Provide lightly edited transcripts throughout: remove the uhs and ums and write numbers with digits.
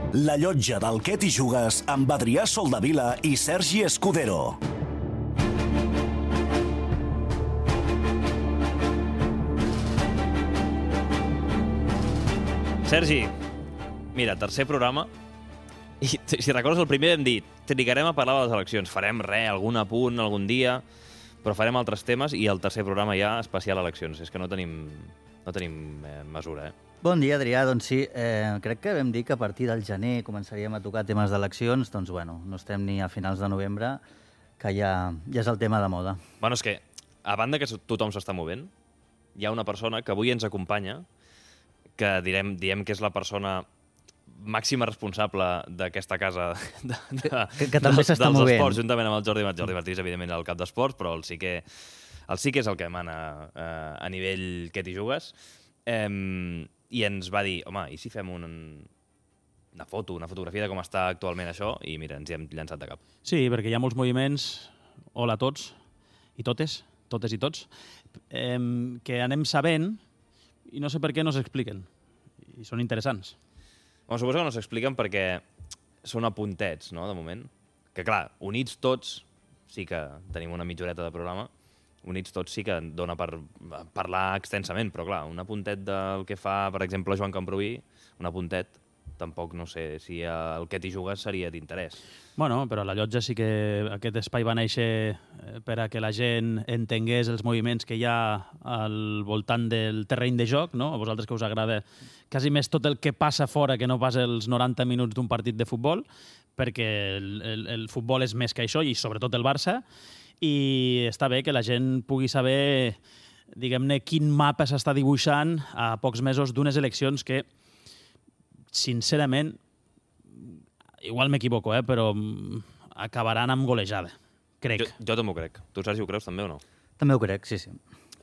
La llotja del Què t'hi jugues amb Adrià Soldavila i Sergi Escudero. Sergi, mira, tercer programa, i si recordes el primer hem dit, trigarem a parlar de les eleccions, farem algun apunt algun dia, però farem altres temes, i el tercer programa ja especial eleccions. És que no tenim mesura, Bon dia, Adrià. Doncs sí, crec que vam dir que a partir del gener començaríem a tocar temes d'eleccions, doncs bueno, no estem ni a finals de novembre, que ja és el tema de moda. Bueno, és que, a banda que tothom s'està movent, hi ha una persona que avui ens acompanya, que diem que és la persona màxima responsable d'aquesta casa que també s'està movent. Esports, juntament amb el Jordi Martí, evidentment el cap d'esports, però el sí que és el que mana a nivell Què t'hi jugues, i ens va dir, home, i si fem una fotografia de com està actualment això, i mira, ens hi hem llançat de cap. Sí, perquè hi ha molts moviments, hola a tots i totes i tots, que anem sabent i no sé per què no s'expliquen, i són interessants. Bueno, suposo que no s'expliquen perquè són apuntets, no?, de moment. Que, clar, units tots, sí que tenim una mitjoreta de programa, units tots sí que dona per parlar extensament, però, clar, un apuntet del que fa, per exemple, Joan Camproví, un apuntet, tampoc no sé si el Què t'hi jugues seria d'interès. Bueno, però a la llotja sí que aquest espai va néixer per a que la gent entengués els moviments que hi ha al voltant del terreny de joc, no? A vosaltres que us agrada quasi més tot el que passa fora que no pas els 90 minuts d'un partit de futbol, perquè el futbol és més que això, i sobretot el Barça, i està bé que la gent pugui saber, diguem-ne, quin mapa s'està dibuixant a pocs mesos d'unes eleccions que, sincerament, igual m'equivoco, però acabaran amb golejada, crec. Jo també ho crec. Tu, Sergi, ho creus també o no? També ho crec, sí.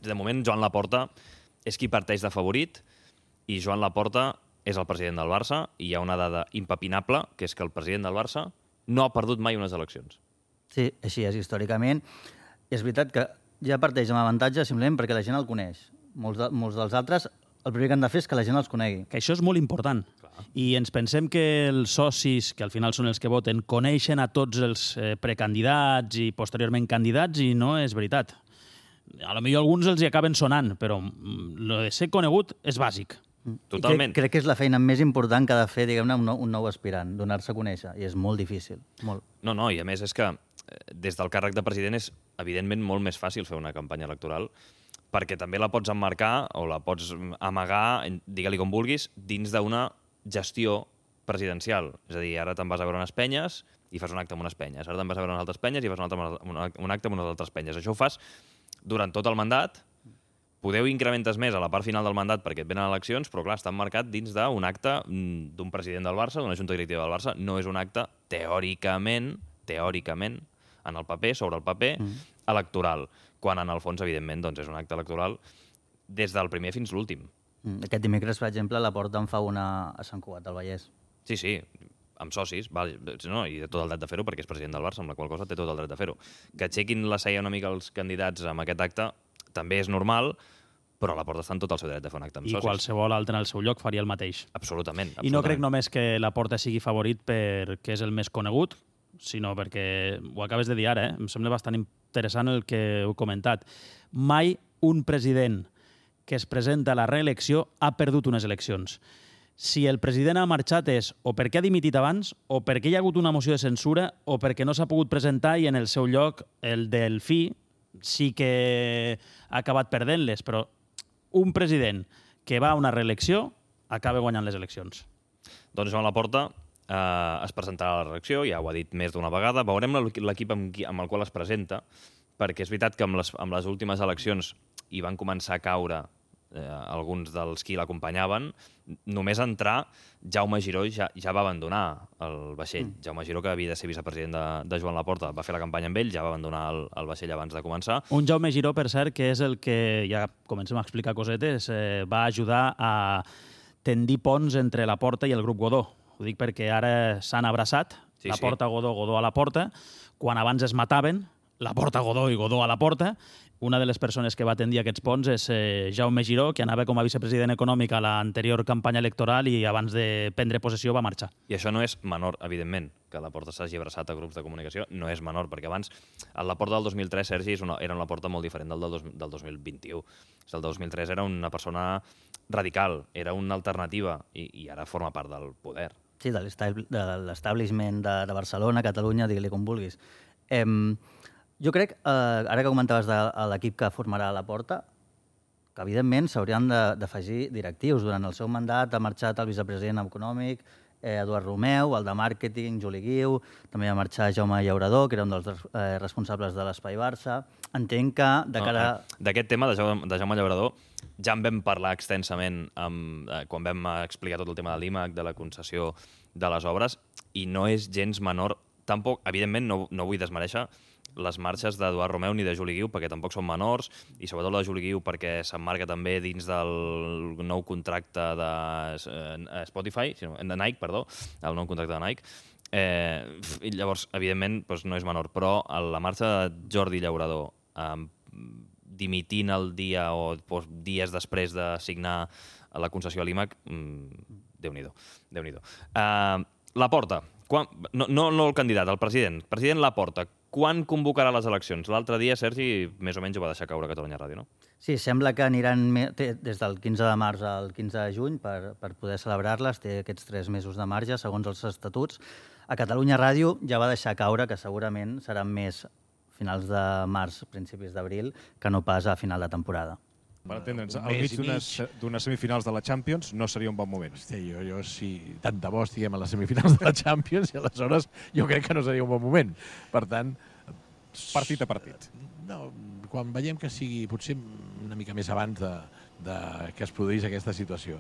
De moment, Joan Laporta és qui parteix de favorit, i Joan Laporta és el president del Barça, i hi ha una dada impepinable, que és que el president del Barça no ha perdut mai unes eleccions. Sí, així és, històricament. És veritat que ja parteix amb avantatge simplement perquè la gent el coneix. Molts dels altres, el primer que han de fer és que la gent els conegui. Que això és molt important. Clar. I ens pensem que els socis, que al final són els que voten, coneixen a tots els precandidats i posteriorment candidats, i no és veritat. A lo millor alguns els hi acaben sonant, però lo de ser conegut és bàsic. Totalment. Crec que és la feina més important que ha de fer, diguem-ne, un nou aspirant, donar-se a conèixer, i és molt difícil. Molt. No, i a més és que des del càrrec de president és, evidentment, molt més fàcil fer una campanya electoral, perquè també la pots emmarcar o la pots amagar, digue-li com vulguis, dins d'una gestió presidencial. És a dir, ara te'n vas a veure unes penyes i fas un acte amb unes penyes. Ara te'n vas a veure unes altres penyes i fas un acte amb unes altres penyes. Això ho fas durant tot el mandat. Podeu incrementes més a la part final del mandat perquè et venen eleccions, però clar, està emmarcat dins d'un acte d'un president del Barça, d'una junta directiva del Barça. No és un acte teòricament, en el paper, sobre el paper, electoral, quan en el fons, evidentment, doncs és un acte electoral des del primer fins l'últim. Aquest dimecres, per exemple, Laporta en fa una a Sant Cugat del Vallès. Sí, amb socis, i té tot el dret de fer-ho perquè és president del Barça, amb la qual cosa té tot el dret de fer-ho. Que aixequin la cella una mica els candidats amb aquest acte també és normal, però Laporta està en tot el seu dret de fer un acte amb socis. I qualsevol altre en el seu lloc faria el mateix. Absolutament. I no crec només que Laporta sigui favorit perquè és el més conegut, sinó perquè, ho acabes de dir ara, em sembla bastant interessant el que heu comentat. Mai un president que es presenta a la reelecció ha perdut unes eleccions. Si el president ha marxat és o perquè ha dimitit abans, o perquè hi ha hagut una moció de censura, o perquè no s'ha pogut presentar i en el seu lloc el Delfí sí que ha acabat perdent-les, però un president que va a una reelecció acaba guanyant les eleccions. Doncs Joan Laporta es presentarà a la reelecció, ja ho ha dit més d'una vegada. Veurem l'equip amb el qual es presenta, perquè és veritat que amb les últimes eleccions hi van començar a caure alguns dels qui l'acompanyaven. Només entrar, Jaume Giró ja va abandonar el vaixell. Jaume Giró, que havia de ser vicepresident de Joan Laporta, va fer la campanya amb ell, ja va abandonar el vaixell abans de començar. Un Jaume Giró, per cert, que és el que, ja comencem a explicar cosetes, va ajudar a tendir ponts entre Laporta i el grup Godó. Ho dic perquè ara s'han abraçat, Laporta, Godó, Godó a Laporta. Quan abans es mataven, Laporta a Godó i Godó a Laporta. Una de les persones que va tendir aquests ponts és Jaume Giró, que anava com a vicepresident econòmic a l'anterior campanya electoral i abans de prendre possessió va marxar. I això no és menor, evidentment, que Laporta s'hagi abraçat a grups de comunicació, no és menor, perquè abans el Laporta del 2003, Sergi, era un Laporta molt diferent del 2021. El 2003 era una persona radical, era una alternativa, i ara forma part del poder. Sí, de l'establishment de Barcelona, Catalunya, digue-li com vulguis. Jo crec, ara que comentaves de l'equip que formarà Laporta, que evidentment s'haurien d'afegir directius. Durant el seu mandat ha marxat el vicepresident econòmic, Eduard Romeu, el de màrqueting, Juli Guiu, també va marxar Jaume Llaurador, que era un dels responsables de l'Espai Barça. Entenc que de cara... D'aquest tema de Jaume Llaurador ja en vam parlar extensament quan vam explicar tot el tema de l'IMAC, de la concessió de les obres, i no és gens menor. Tampoc, evidentment, no vull desmereixer les marxes d'Eduard Romeu ni de Juli Guiu, perquè tampoc són menors, i sobretot la de Juli Guiu perquè s'emmarca també dins del nou contracte de Spotify, de Nike, perdó, el nou contracte de Nike. I llavors, evidentment, no és menor, però la marxa de Jordi Llaurador dimitint el dia o dies després de signar la concessió a l'IMAC, Déu-n'hi-do. Laporta, no el candidat, el president. President Laporta, quan convocarà les eleccions? L'altre dia, Sergi, més o menys ho va deixar caure a Catalunya Ràdio, no? Sí, sembla que aniran des del 15 de març al 15 de juny per poder celebrar-les. Té aquests 3 mesos de marge, segons els estatuts. A Catalunya Ràdio ja va deixar caure que segurament seran més finals de març, principis d'abril, que no pas a final de temporada. Per entendre'ns, al mig d'unes semifinals de la Champions no seria un bon moment. Hosti, jo si tant de bo estiguem a les semifinals de la Champions, i aleshores jo crec que no seria un bon moment. Per tant... Partit a partit. No, quan veiem que sigui potser una mica més abans de que es produís aquesta situació.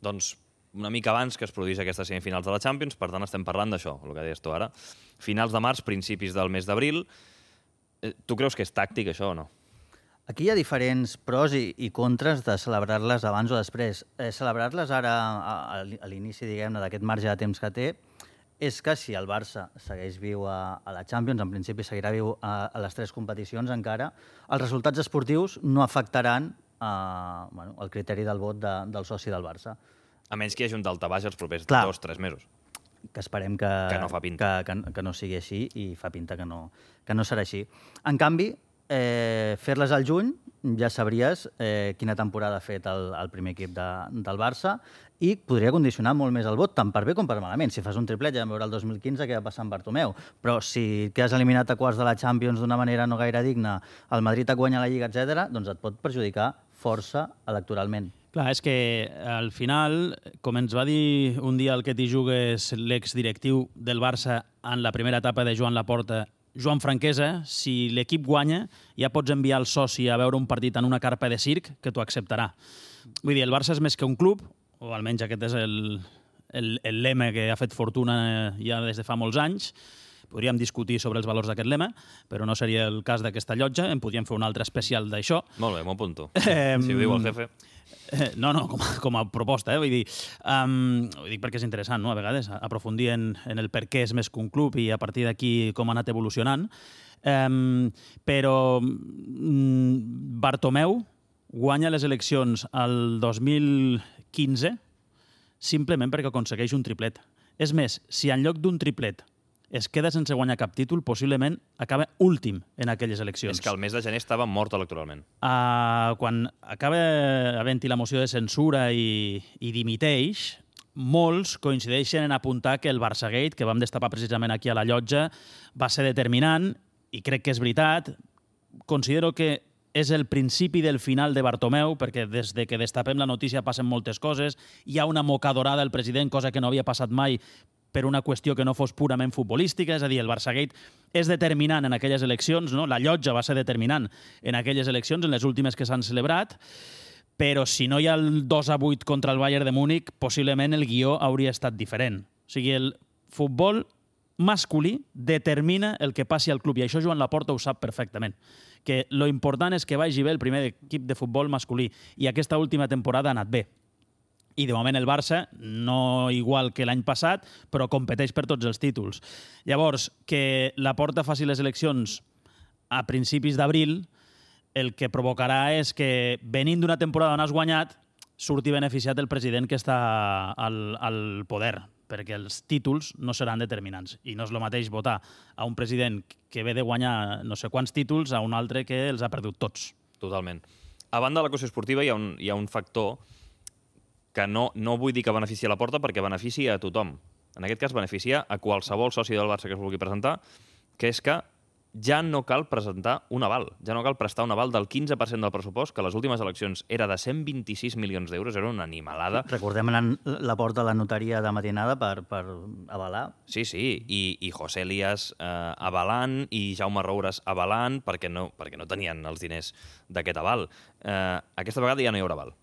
Doncs una mica abans que es produís aquestes semifinals de la Champions, per tant estem parlant d'això, el que deies tu ara. Finals de març, principis del mes d'abril. Tu creus que és tàctic això o no? Aquí hi ha diferents pros i contres de celebrar-les abans o després. Celebrar-les ara, a l'inici, diguem-ne, d'aquest marge de temps que té, és que si el Barça segueix viu a la Champions, en principi seguirà viu a les 3 competicions encara, els resultats esportius no afectaran el criteri del vot del soci del Barça. A menys que hi hagi un daltabaix els propers 2-3 mesos. Que esperem que no fa pinta. Que no sigui així, i fa pinta que no serà així. En canvi, fer-les al juny ja sabries quina temporada ha fet el primer equip del Barça, i podria condicionar molt més el vot, tant per bé com per malament. Si fas un triplet, ja vam veure el 2015 què va passar amb Bartomeu, però si quedes eliminat a quarts de la Champions d'una manera no gaire digna, el Madrid et guanya la Lliga, etc., doncs et pot perjudicar força electoralment. Clar, és que al final, com ens va dir un dia el que t'hi jugues l'exdirectiu del Barça en la primera etapa de Joan Laporta, Joan Franquesa, si l'equip guanya, ja pots enviar el soci a veure un partit en una carpa de circ que t'ho acceptarà. Vull dir, el Barça és més que un club, o almenys aquest és el lema que ha fet fortuna ja des de fa molts anys. Podríem discutir sobre els valors d'aquest lema, però no seria el cas d'aquesta llotja. En podríem fer un altre especial d'això. Molt bé, m'ho apunto. Si ho diu el jefe. No, com a proposta, vull dir perquè és interessant, no?, a vegades, aprofundir en el per què és més que un club i a partir d'aquí com ha anat evolucionant. Però Bartomeu guanya les eleccions el 2015 simplement perquè aconsegueix un triplet. És més, si en lloc d'un triplet es queda sense guanyar cap títol, possiblement acaba últim en aquelles eleccions. És que el mes de gener estava mort electoralment. Quan acaba havent-hi la moció de censura i dimiteix, molts coincideixen en apuntar que el Barçagate, que vam destapar precisament aquí a la llotja, va ser determinant, i crec que és veritat. Considero que és el principi del final de Bartomeu, perquè des de que destapem la notícia passen moltes coses. Hi ha una mocadorada al president, cosa que no havia passat mai per una qüestió que no fos purament futbolística, és a dir, el Barçagate és determinant en aquelles eleccions, no? La llotja va ser determinant en aquelles eleccions, en les últimes que s'han celebrat, però si no hi ha el 2-8 contra el Bayern de Múnich, possiblement el guió hauria estat diferent. O sigui, el futbol masculí determina el que passi al club, i això Joan Laporta ho sap perfectament, que lo important és que vagi bé el primer equip de futbol masculí, i aquesta última temporada ha anat bé. I de moment el Barça, no igual que l'any passat, però competeix per tots els títols. Llavors, que Laporta faci les eleccions a principis d'abril, el que provocarà és que, venint d'una temporada on has guanyat, surti beneficiat el president que està al poder, perquè els títols no seran determinants. I no és el mateix votar a un president que ve de guanyar no sé quants títols a un altre que els ha perdut tots. Totalment. A banda de la qüestió esportiva hi ha un factor que no vull dir que beneficia la Porta perquè beneficia a tothom. En aquest cas beneficia a qualsevol soci del Barça que es vulgui presentar, que és que ja no cal presentar un aval, ja no cal prestar un aval del 15% del pressupost, que a les últimes eleccions era de 126 milions d'euros, era una animalada. Recordem la porta a la notaria de matinada per avalar. Sí, i José Elías avalant i Jaume Roures avalant perquè no tenien els diners d'aquest aval. Aquesta vegada ja no hi haurà aval.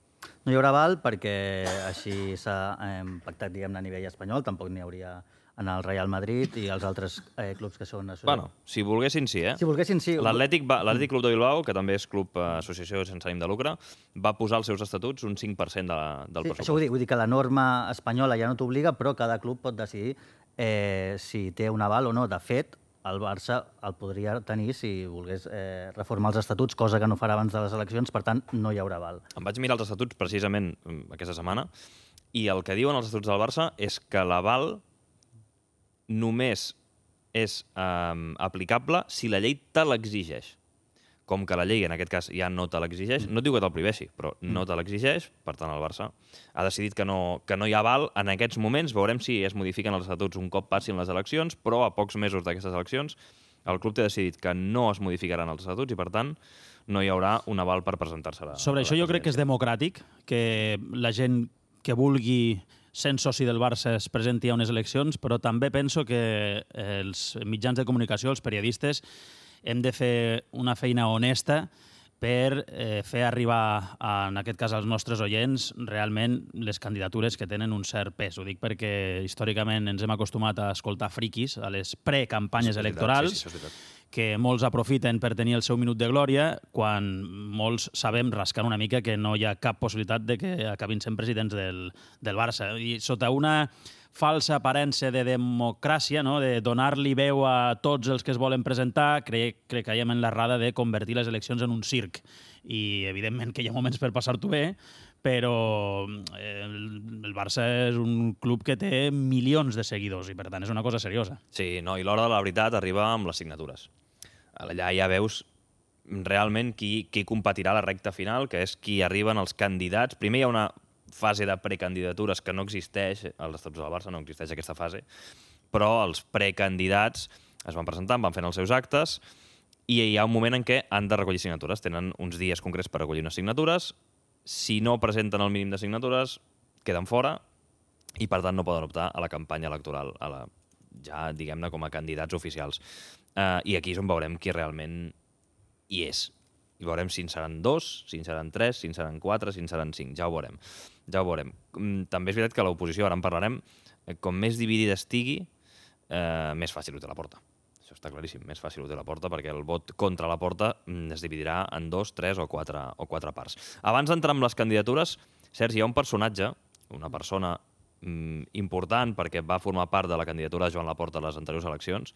No hi haurà aval perquè així s'ha pactat, diguem-ne, a nivell espanyol, tampoc n'hi hauria en el Real Madrid i els altres clubs que són associats. Bueno, si volguessin sí, Si volguessin sí. L'Atlètic Club de Bilbao, que també és club associació sense ànim de lucre, va posar als seus estatuts un 5% del pressupost. Això vull dir que la norma espanyola ja no t'obliga, però cada club pot decidir si té un aval o no. De fet, el Barça el podria tenir si volgués reformar els estatuts, cosa que no farà abans de les eleccions, per tant, no hi haurà aval. Em vaig mirar els estatuts precisament aquesta setmana i el que diuen els estatuts del Barça és que l'aval només és aplicable si la llei te l'exigeix. Com que la llei, en aquest cas, ja no te l'exigeix, no et diu que te'l prohibeixi, però no te l'exigeix, per tant, el Barça ha decidit que no hi ha aval en aquests moments. Veurem si es modifiquen els estatuts un cop passin les eleccions, però a pocs mesos d'aquestes eleccions el club té decidit que no es modificaran els estatuts i, per tant, no hi haurà un aval per presentar-se a la Sobre això jo crec que és democràtic, que la gent que vulgui sent soci del Barça es presenti a unes eleccions, però també penso que els mitjans de comunicació, els periodistes, hem de fer una feina honesta per fer arribar, en aquest cas, als nostres oients, realment les candidatures que tenen un cert pes. Ho dic perquè històricament ens hem acostumat a escoltar friquis a les precampanyes electorals, que molts aprofiten per tenir el seu minut de glòria, quan molts sabem, rascant una mica, que no hi ha cap possibilitat de que acabin sent presidents del Barça. I sota una falsa aparença de democràcia, no? De donar-li veu a tots els que es volen presentar, creiem en l'errada de convertir les eleccions en un circ. I, evidentment, que hi ha moments per passar-t'ho bé, però el Barça és un club que té milions de seguidors i, per tant, és una cosa seriosa. Sí, no, i l'hora de la veritat arriba amb les signatures. Allà ja veus realment qui competirà a la recta final, que és qui arriben els candidats. Primer hi ha una fase de precandidatures que no existeix, als estatuts del Barça no existeix aquesta fase, però els precandidats es van presentant, van fent els seus actes, i hi ha un moment en què han de recollir signatures. Tenen uns dies concrets per recollir unes signatures. Si no presenten el mínim de signatures, queden fora i, per tant, no poden optar a la campanya electoral, ja, diguem-ne, com a candidats oficials. I aquí és on veurem qui realment hi és. I veurem si en seran 2, si en seran 3, si en seran 4, si en seran 5. Ja ho veurem. També és veritat que l'oposició, ara en parlarem, com més dividida estigui, més fàcil ho té la Porta. Això està claríssim, més fàcil ho té la Porta, perquè el vot contra la Porta es dividirà en 2, 3 o 4 parts. Abans d'entrar amb les candidatures, Sergi, hi ha un personatge, una persona important, perquè va formar part de la candidatura de Joan Laporta a les anteriors eleccions,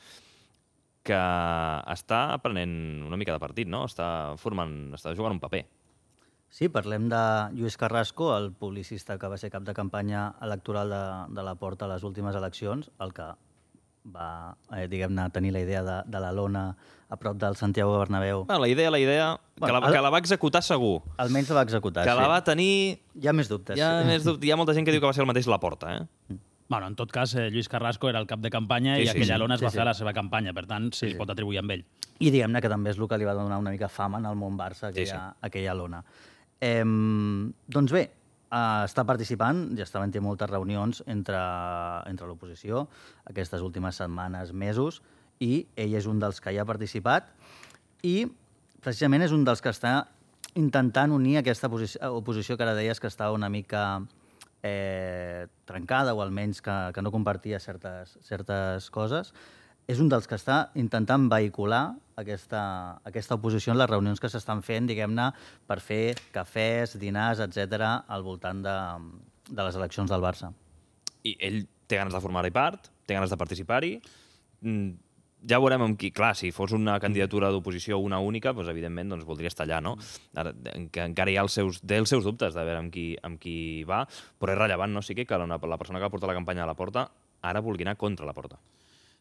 que està prenent una mica de partit, no? Està jugant un paper. Sí, parlem de Lluís Carrasco, el publicista que va ser cap de campanya electoral de la Porta a les últimes eleccions, el que va, diguem-ne, tenir la idea de la lona a prop del Santiago Bernabéu. La idea, que la va executar segur. Almenys la va executar, sí. Que la va tenir... Hi ha més dubtes. Hi ha molta gent que diu que va ser el mateix Laporta, Bueno, en tot cas, Lluís Carrasco era el cap de campanya i aquella lona es va fer a la seva campanya, per tant, se li pot atribuir amb ell. I diguem-ne que també és el que li va donar una mica fama en el món Barça, aquella lona. Doncs bé, està participant, ja està havent moltes reunions entre l'oposició aquestes últimes setmanes, mesos, i ell és un dels que hi ha participat i precisament és un dels que està intentant unir aquesta oposició que ara deies que estava una mica trencada o almenys que no compartia certes coses. És un dels que està intentant vehicular aquesta oposició en les reunions que s'estan fent, diguem-ne, per fer cafès, dinars, etc. al voltant les eleccions del Barça. I ell té ganes de formar-hi part, té ganes de participar-hi. Ja veurem amb qui... Clar, si fos una candidatura d'oposició una única, doncs, evidentment, doncs, voldria estar allà, no? Ara, que encara hi ha els seus dubtes de veure amb qui va, però és rellevant, no? Sí que la persona que porta la campanya a la Porta ara vulgui anar contra la Porta.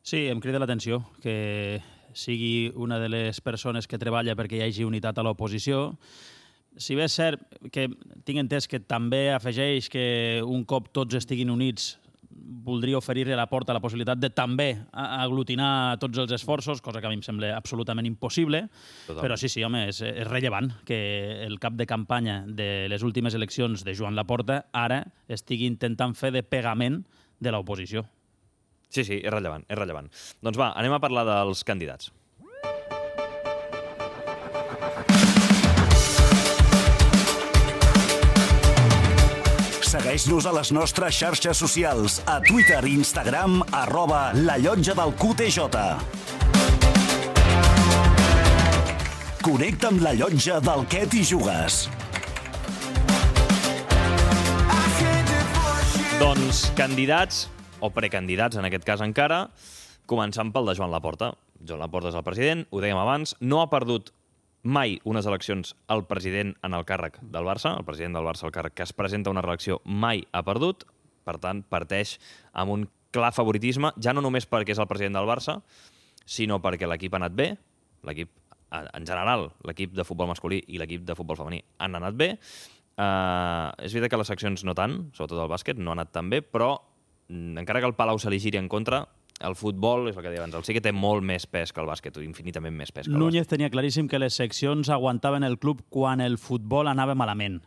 Sí, em crida l'atenció que sigui una de les persones que treballa perquè hi hagi unitat a l'oposició. Si bé és cert que tinc entès que també afegeix que un cop tots estiguin units voldria oferir-li a la Porta la possibilitat de també aglutinar tots els esforços, cosa que a mi em sembla absolutament impossible. Totalment. Però sí, home, és rellevant que el cap de campanya de les últimes eleccions de Joan Laporta ara estigui intentant fer de pegament de l'oposició. Sí, és rellevant, és rellevant. Doncs va, anem a parlar dels candidats. Segueix-nos a les nostres xarxes socials, a Twitter i Instagram, @lallotja-del-QTJ. Connecta amb la llotja del Què t'hi jugues. Doncs candidats, o precandidats en aquest cas encara, començant pel de Joan Laporta. Joan Laporta és el president, ho dèiem abans, no ha perdut mai unes eleccions el president en el càrrec del Barça, el president del Barça, el càrrec que es presenta a una reelecció, mai ha perdut, per tant, parteix amb un clar favoritisme, ja no només perquè és el president del Barça, sinó perquè l'equip ha anat bé, l'equip, en general, l'equip de futbol masculí i l'equip de futbol femení han anat bé. És veritat que les seccions no tant, sobretot el bàsquet, no ha anat tan bé, però encara que el Palau se li giri en contra, el futbol, és el que deia abans, sí que té molt més pes que el bàsquet, infinitament més pes que el Núñez bàsquet. tenia claríssim que les seccions aguantaven el club quan el futbol anava malament.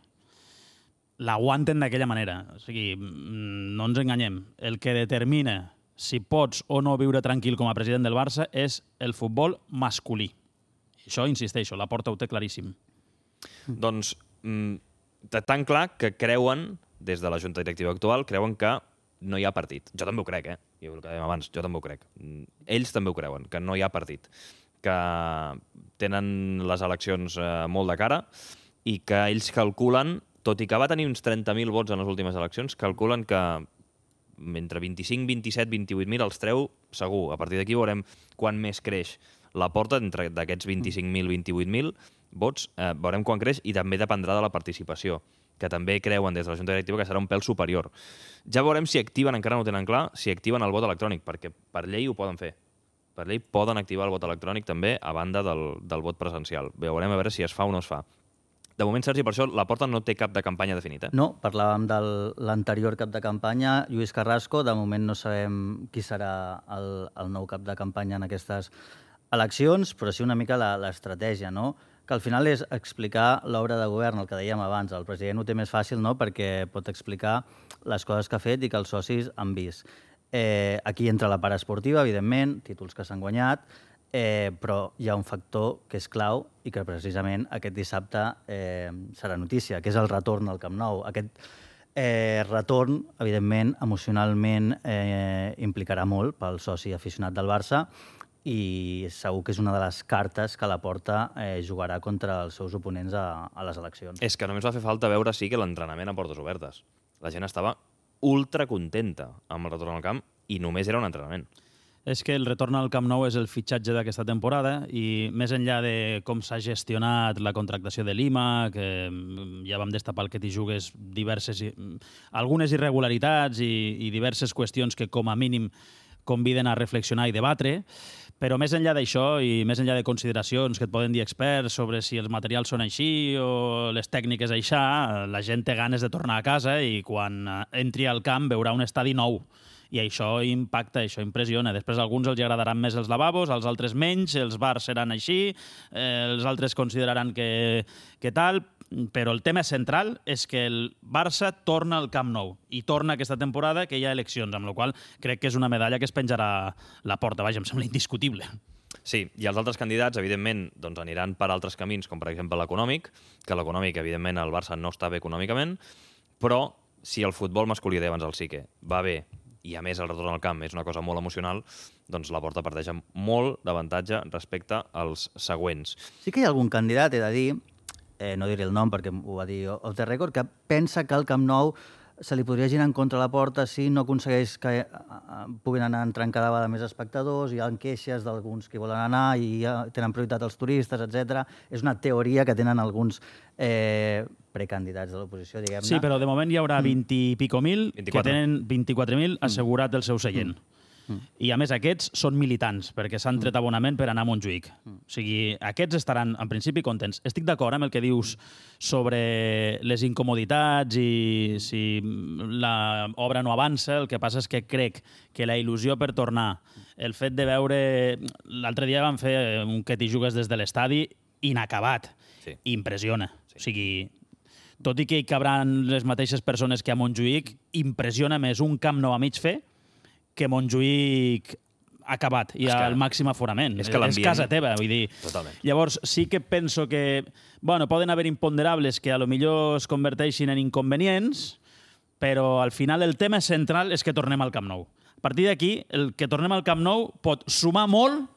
L'aguanten d'aquella manera. O sigui, no ens enganyem. El que determina si pots o no viure tranquil com a president del Barça és el futbol masculí. Això, insisteixo, la Porta ho té claríssim. Doncs, tan clar que creuen, des de la Junta Directiva actual, creuen que no hi ha partit. Jo també ho crec, Jo el que dèiem abans, jo també ho crec. Ells també ho creuen, que no hi ha partit. Que tenen les eleccions molt de cara i que ells calculen, tot i que va tenir uns 30.000 vots en les últimes eleccions, calculen que entre 25, 27, 28.000 els treu segur. A partir d'aquí veurem quan més creix la Porta, entre d'aquests 25.000, 28.000 vots, veurem quan creix i també dependrà de la participació, que també creuen des de la Junta Directiva que serà un pèl superior. Ja veurem si activen, encara no ho tenen clar, si activen el vot electrònic, perquè per llei ho poden fer. Per llei poden activar el vot electrònic també a banda del vot presencial. Veurem a veure si es fa o no es fa. De moment, Sergi, per això la Porta no té cap de campanya definit, No, parlàvem de l'anterior cap de campanya, Lluís Carrasco. De moment no sabem qui serà el nou cap de campanya en aquestes eleccions, però sí una mica l'estratègia, no? Que al final és explicar l'obra de govern, el que dèiem abans. El president ho té més fàcil, no?, perquè pot explicar les coses que ha fet i que els socis han vist. Aquí entra la part esportiva, evidentment, títols que s'han guanyat, però hi ha un factor que és clau i que precisament aquest dissabte serà notícia, que és el retorn al Camp Nou. Aquest retorn, evidentment, emocionalment implicarà molt pel soci aficionat del Barça i segur que és una de les cartes que la Porta jugarà contra els seus oponents a les eleccions. És que només va fer falta veure, sí, que l'entrenament a portes obertes. La gent estava ultra contenta amb el retorn al camp i només era un entrenament. És que el retorn al Camp Nou és el fitxatge d'aquesta temporada i més enllà de com s'ha gestionat la contractació de Lima, que ja vam destapar el que t'hi jugues algunes irregularitats i diverses qüestions que com a mínim conviden a reflexionar i debatre, però més enllà d'això i més enllà de consideracions que et poden dir experts sobre si els materials són així o les tècniques aixà, la gent té ganes de tornar a casa i quan entri al camp veurà un estadi nou. I això impacta, això impressiona. Després a alguns els agradaran més els lavabos, als altres menys, els bars seran així, els altres consideraran que tal, però el tema central és que el Barça torna al Camp Nou i torna aquesta temporada que hi ha eleccions, amb la qual crec que és una medalla que es penjarà la Porta. Vaja, em sembla indiscutible. Sí, i els altres candidats, evidentment, doncs aniran per altres camins, com per exemple l'econòmic, que l'econòmic, evidentment, el Barça no està bé econòmicament, però si el futbol masculí, abans el sí que va bé, i a més el retorn al camp és una cosa molt emocional, doncs la Porta parteix amb molt d'avantatge respecte als següents. Sí que hi ha algun candidat, he de dir, no diré el nom perquè ho va dir off the record, que pensa que el Camp Nou se li podria girar en contra la porta si no aconsegueix que puguin anar entrant cada vegada més espectadors, hi ha queixes d'alguns que volen anar i tenen prioritat els turistes, etc. És una teoria que tenen alguns precandidats de l'oposició, diguem-ne. Sí, però de moment hi haurà 20 i pico mil que tenen 24.000 assegurat el seu seient. I, a més, aquests són militants, perquè s'han tret abonament per anar a Montjuïc. O sigui, aquests estaran, en principi, contents. Estic d'acord amb el que dius sobre les incomoditats i si l'obra no avança. El que passa és que crec que la il·lusió per tornar, el fet de veure... L'altre dia van fer un que t'hi jugues des de l'estadi inacabat. Sí. Impressiona. Sí. O sigui, tot i que hi cabran les mateixes persones que a Montjuïc, impressiona més un Camp Nou a mig fer que Montjuïc acabat i al màxim aforament. És casa teva, vull dir. Totalment. Llavors, sí que penso que poden haver imponderables que a lo millor es converteixin en inconvenients, però al final el tema central és que tornem al Camp Nou. A partir d'aquí, el que tornem al Camp Nou pot sumar molt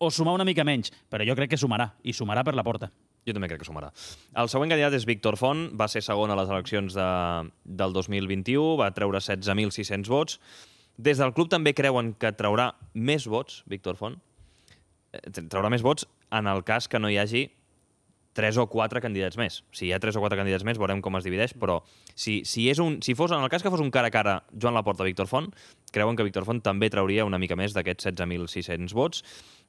o sumar una mica menys, però jo crec que sumarà, i sumarà per la porta. Jo també crec que sumarà. El següent candidat és Víctor Font, va ser segon a les eleccions del 2021, va treure 16.600 vots. Des del club també creuen que traurà més vots, Víctor Font. Traurà més vots en el cas que no hi hagi 3 o 4 candidats més. Si hi ha 3 o 4 candidats més, veurem com es divideix, però si fos en el cas que fos un cara a cara Joan Laporta-Víctor Font, creuen que Víctor Font també trauria una mica més d'aquests 16.600 vots.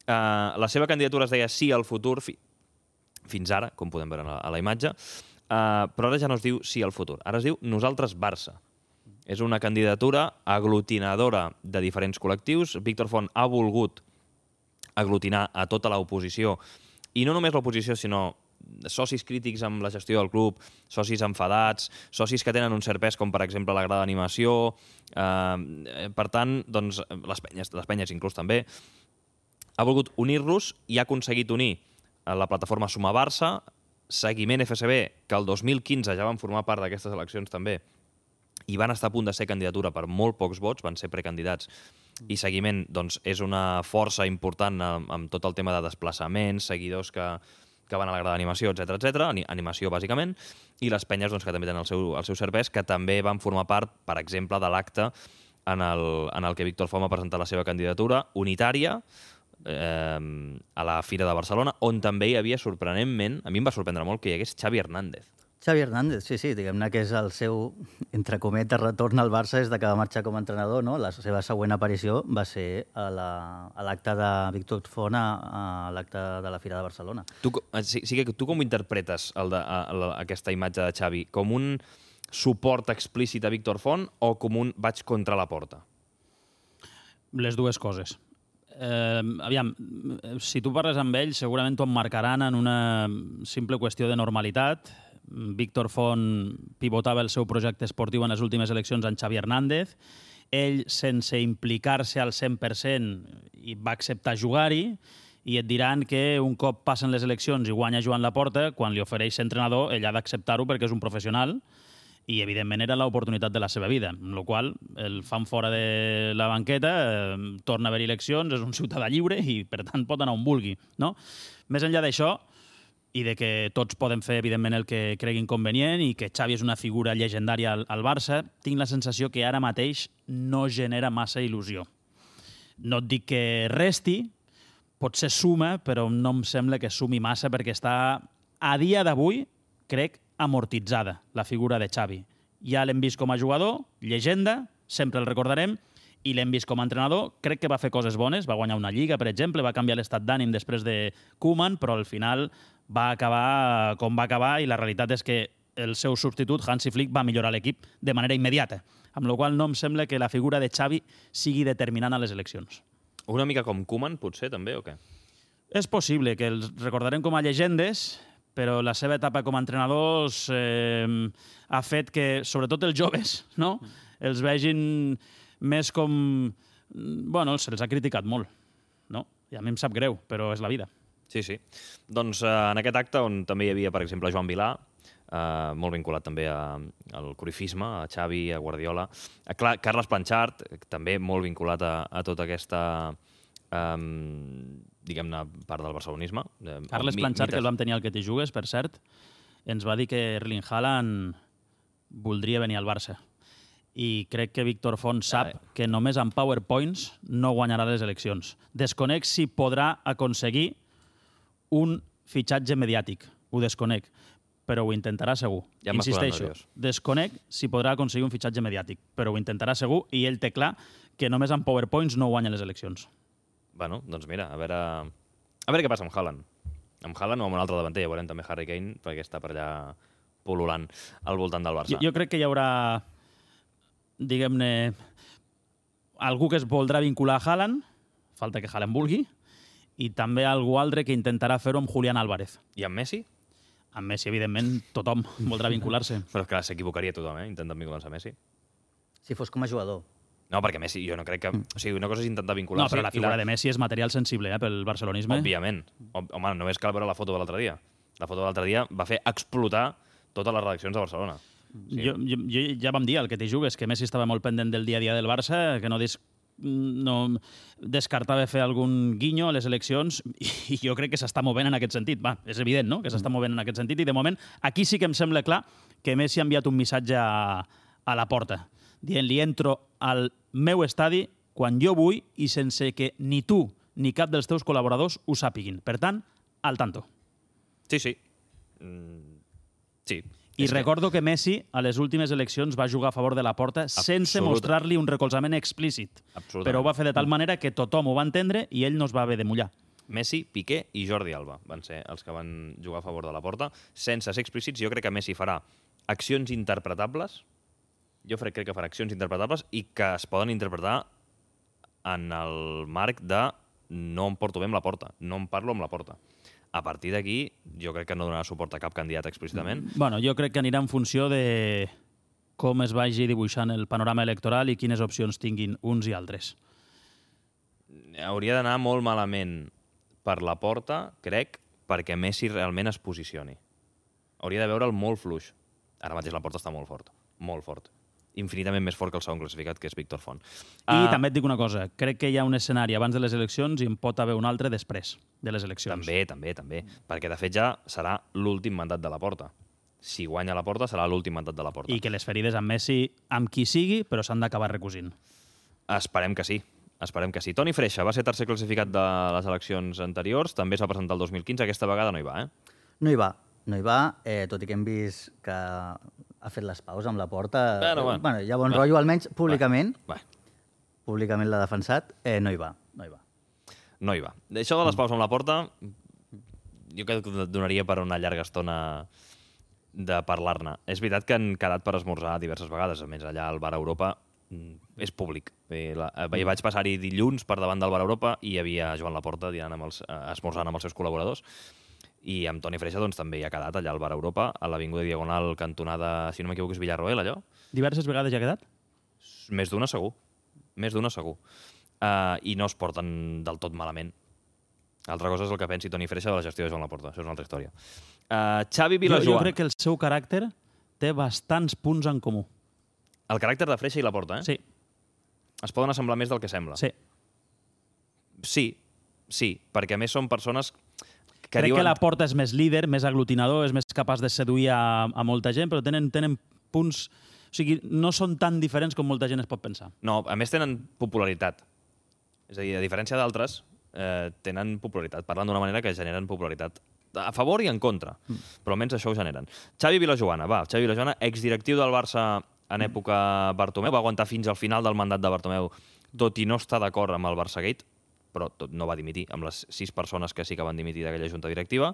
La seva candidatura es deia Sí al futur, fins ara, com podem veure a la imatge, però ara ja no es diu Sí al futur, ara es diu Nosaltres Barça. És una candidatura aglutinadora de diferents col·lectius. Víctor Font ha volgut aglutinar a tota l'oposició, i no només l'oposició, sinó socis crítics amb la gestió del club, socis enfadats, socis que tenen un cert pes, com per exemple la grada d'animació. Per tant, doncs, les penyes inclús també. Ha volgut unir-los i ha aconseguit unir la plataforma Suma Barça, Seguiment FSB, que el 2015 ja van formar part d'aquestes eleccions també, i van estar a punt de ser candidatura per molt pocs vots, van ser precandidats, i Seguiment doncs, és una força important amb tot el tema de desplaçaments, seguidors que van a la grada d'animació, etc, animació bàsicament, i les penyes doncs, que també tenen el seu cert pes, que també van formar part, per exemple, de l'acte en el que Víctor Font va presentar la seva candidatura unitària a la Fira de Barcelona, on també hi havia, sorprenentment, a mi em va sorprendre molt que hi hagués Xavi Hernández. Xavi Hernández, sí, diguem-ne que és el seu, entre cometes, retorn al Barça des que va marxar com a entrenador, no? La seva següent aparició va ser a l'acte de Víctor Font a l'acte de la Fira de Barcelona. Tu com interpretes aquesta imatge de Xavi? Com un suport explícit a Víctor Font o com un vaig contra la porta? Les dues coses. Aviam, si tu parles amb ell, segurament t'ho emmarcaran en una simple qüestió de normalitat. Víctor Font pivotava el seu projecte esportiu en les últimes eleccions amb Xavi Hernández. Ell, sense implicar-se al 100%, va acceptar jugar-hi, i et diran que un cop passen les eleccions i guanya Joan Laporta, quan li ofereix ser entrenador, ell ha d'acceptar-ho perquè és un professional, i evidentment era l'oportunitat de la seva vida, amb la qual el fan fora de la banqueta, torna a haver eleccions, és un ciutadà lliure i per tant pot anar on vulgui, no? Més enllà d'això, i de que tots poden fer, evidentment, el que creguin convenient i que Xavi és una figura llegendària al Barça, tinc la sensació que ara mateix no genera massa il·lusió. No et dic que resti, potser suma, però no em sembla que sumi massa perquè està, a dia d'avui, crec, amortitzada la figura de Xavi. Ja l'hem vist com a jugador, llegenda, sempre el recordarem, i l'hem vist com a entrenador, crec que va fer coses bones, va guanyar una lliga, per exemple, va canviar l'estat d'ànim després de Koeman, però al final va acabar com va acabar i la realitat és que el seu substitut, Hansi Flick, va millorar l'equip de manera immediata, amb la qual no em sembla que la figura de Xavi sigui determinant a les eleccions. Una mica com Koeman, potser, també, o què? És possible que els recordarem com a llegendes, però la seva etapa com a entrenadors ha fet que, sobretot els joves, no? Els vegin més com... Bueno, se'ls ha criticat molt, no? I a mi em sap greu, però és la vida. Sí. Doncs en aquest acte, on també hi havia, per exemple, Joan Vilà, molt vinculat també al corifisme, a Xavi, a Guardiola, Carles Planchart, també molt vinculat a tota aquesta... diguem-ne, part del barcelonisme. Carles Planchart, que el vam tenir al Que t'hi jugues, per cert, ens va dir que Erling Haaland voldria venir al Barça. i crec que Víctor Font sap que només amb PowerPoints no guanyarà les eleccions. Desconec si podrà aconseguir un fitxatge mediàtic. Ho desconec, però ho intentarà segur. Ja m'has posat Insisteixo, nerviós. desconec si podrà aconseguir un fitxatge mediàtic, però ho intentarà segur i ell té clar que només amb PowerPoints no guanya les eleccions. Bueno, doncs mira, a veure què passa amb Haaland. Amb Haaland o amb un altre davanter, ja veurem també Harry Kane, perquè està per allà pol·lulant al voltant del Barça. Jo crec que hi haurà, diguem-ne, algú que es voldrà vincular a Haaland, falta que Haaland vulgui, i també algú altre que intentarà fer-ho amb Julián Álvarez. I amb Messi? Amb Messi, evidentment, tothom voldrà vincular-se. Però clar, s'equivocaria tothom, intentant vincular-se a Messi. Si fos com a jugador. No, perquè Messi, jo no crec que... O sigui, una cosa és intentar vincular-se... No, però la figura de Messi és material sensible pel barcelonisme. Òbviament. Home, només cal veure la foto de l'altre dia. La foto de l'altre dia va fer explotar totes les redaccions de Barcelona. Sí. Jo ja vam dir, el que t'hi jugues, que Messi estava molt pendent del dia a dia del Barça, que no descartava fer algun guinyo a les eleccions, i jo crec que s'està movent en aquest sentit. Va, és evident, no?, que s'està movent en aquest sentit, i de moment aquí sí que em sembla clar que Messi ha enviat un missatge a la porta, dient-li entro al meu estadi quan jo vull i sense que ni tu ni cap dels teus col·laboradors ho sàpiguin. Per tant, al tanto. Sí, sí. Sí. I recordo que Messi, a les últimes eleccions, va jugar a favor de la porta sense mostrar-li un recolzament explícit. Però ho va fer de tal manera que tothom ho va entendre i ell no es va haver de mullar. Messi, Piqué i Jordi Alba van ser els que van jugar a favor de la porta. Sense ser explícits, jo crec que Messi farà accions interpretables. Jo crec que farà accions interpretables i que es poden interpretar en el marc de no em porto bé amb la porta, no em parlo amb la porta. A partir d'aquí, jo crec que no donarà suport a cap candidat explícitament. Bueno, jo crec que anirà en funció de com es vagi dibuixant el panorama electoral i quines opcions tinguin uns i altres. Hauria d'anar molt malament per la porta, crec, perquè Messi realment es posicioni. Hauria de veure'l molt fluix. Ara mateix la porta està molt fort, molt fort. Infinitament més fort que el segon classificat, que és Víctor Font. I també et dic una cosa, crec que hi ha un escenari abans de les eleccions i en pot haver un altre després de les eleccions. També. Perquè, de fet, ja serà l'últim mandat de la porta. Si guanya la porta, serà l'últim mandat de la porta. I que les ferides amb Messi, amb qui sigui, però s'han d'acabar recosint. Esperem que sí. Toni Freixa va ser tercer classificat de les eleccions anteriors, també es va presentar el 2015, aquesta vegada no hi va, No hi va, tot i que hem vist que ha fet les paus amb la porta. Bueno, hi ha bon rotllo, almenys públicament. Públicament l'ha defensat. No hi va. Això de les paus amb la porta, jo crec que donaria per una llarga estona de parlar-ne. És veritat que han quedat per esmorzar diverses vegades, a més allà al Bar Europa és públic. Vaig passar-hi dilluns per davant del Bar Europa i hi havia Joan Laporta esmorzant amb els seus col·laboradors. I amb Toni Freixa doncs, també hi ha quedat allà al Bar Europa, a l'Avinguda Diagonal, cantonada, si no m'equivoco, és Villarroel, allò. Diverses vegades ja ha quedat? Més d'una segur. I no es porten del tot malament. Altra cosa és el que pensi Toni Freixa de la gestió de Joan Laporta. Això és una altra història. Xavi Vilajoana. Jo crec que el seu caràcter té bastants punts en comú. El caràcter de Freixa i Laporta, Sí. Es poden assemblar més del que sembla. Sí, perquè a més són persones que crec que Laporta és més líder, més aglutinador, és més capaç de seduir a molta gent, però tenen punts... O sigui, no són tan diferents com molta gent es pot pensar. No, a més tenen popularitat. És a dir, a diferència d'altres, tenen popularitat. Parlen d'una manera que generen popularitat. A favor i en contra. Però almenys això ho generen. Xavi Vilajoana, exdirectiu del Barça en època Bartomeu, va aguantar fins al final del mandat de Bartomeu, tot i no estar d'acord amb el Barçagate, però no va dimitir, amb les 6 persones que sí que van dimitir d'aquella junta directiva.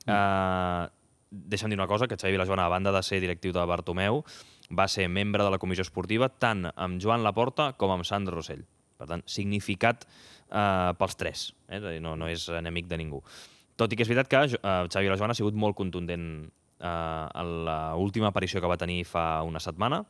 Deixa'm dir una cosa, que Xavi Vilajoana, a banda de ser directiu de Bartomeu, va ser membre de la comissió esportiva tant amb Joan Laporta com amb Sandro Rossell. Per tant, significat pels tres. És a dir, no és enemic de ningú. Tot i que és veritat que Xavi Vilajoana ha sigut molt contundent en l'última aparició que va tenir fa una setmana.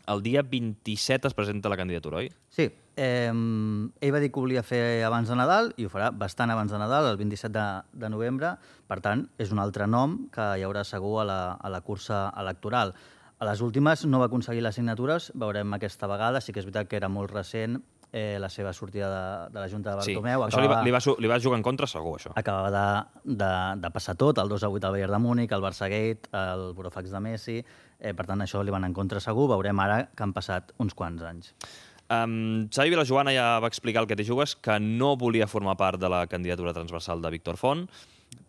El dia 27 es presenta la candidatura, oi? Sí. Ell va dir que ho volia fer abans de Nadal i ho farà bastant abans de Nadal, el 27 de novembre. Per tant, és un altre nom que hi haurà segur a la cursa electoral. A les últimes no va aconseguir les signatures, veurem aquesta vegada. Sí que és veritat que era molt recent la seva sortida de la Junta de Sí, Bartomeu. això li va jugar en contra segur, això. Acabava de passar tot, el 2-8 al Bayern de Múnich, el Barça-Gate, el Burofax de Messi. Per tant, això li van en contra segur. Veurem ara que han passat uns quants anys. Xavi Vilajoana ja va explicar el que té jugues, que no volia formar part de la candidatura transversal de Víctor Font,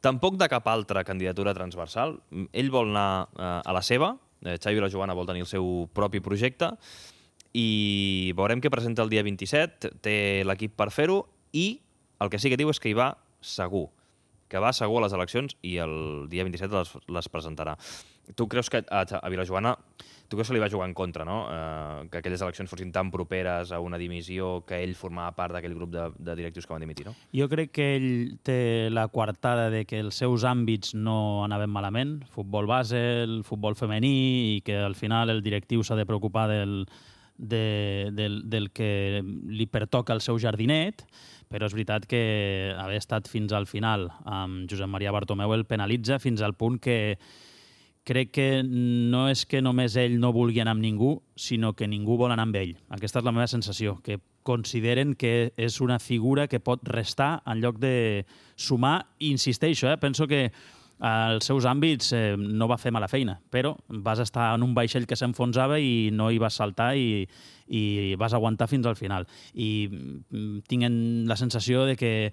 tampoc de cap altra candidatura transversal. Ell vol anar a la seva, Xavi Vilajoana vol tenir el seu propi projecte, i veurem què presenta el dia 27, té l'equip per fer-ho, i el que sí que diu és que hi va segur, que va segur a les eleccions i el dia 27 les presentarà. Tu creus que a Vilajoana se li va jugar en contra, no? Que aquelles eleccions fossin tan properes a una dimissió que ell formava part d'aquell grup de directius que van dimitir, no? Jo crec que ell té la coartada de que els seus àmbits no anaven malament, futbol base, el futbol femení, i que al final el directiu s'ha de preocupar del que li pertoca al seu jardinet, però és veritat que haver estat fins al final amb Josep Maria Bartomeu el penalitza fins al punt que crec que no és que només ell no vulgui anar amb ningú, sinó que ningú vol anar amb ell. Aquesta és la meva sensació, que consideren que és una figura que pot restar en lloc de sumar. I insisteixo, penso que als seus àmbits no va fer mala feina, però vas estar en un vaixell que s'enfonsava i no hi vas saltar i vas aguantar fins al final. I tinc la sensació de que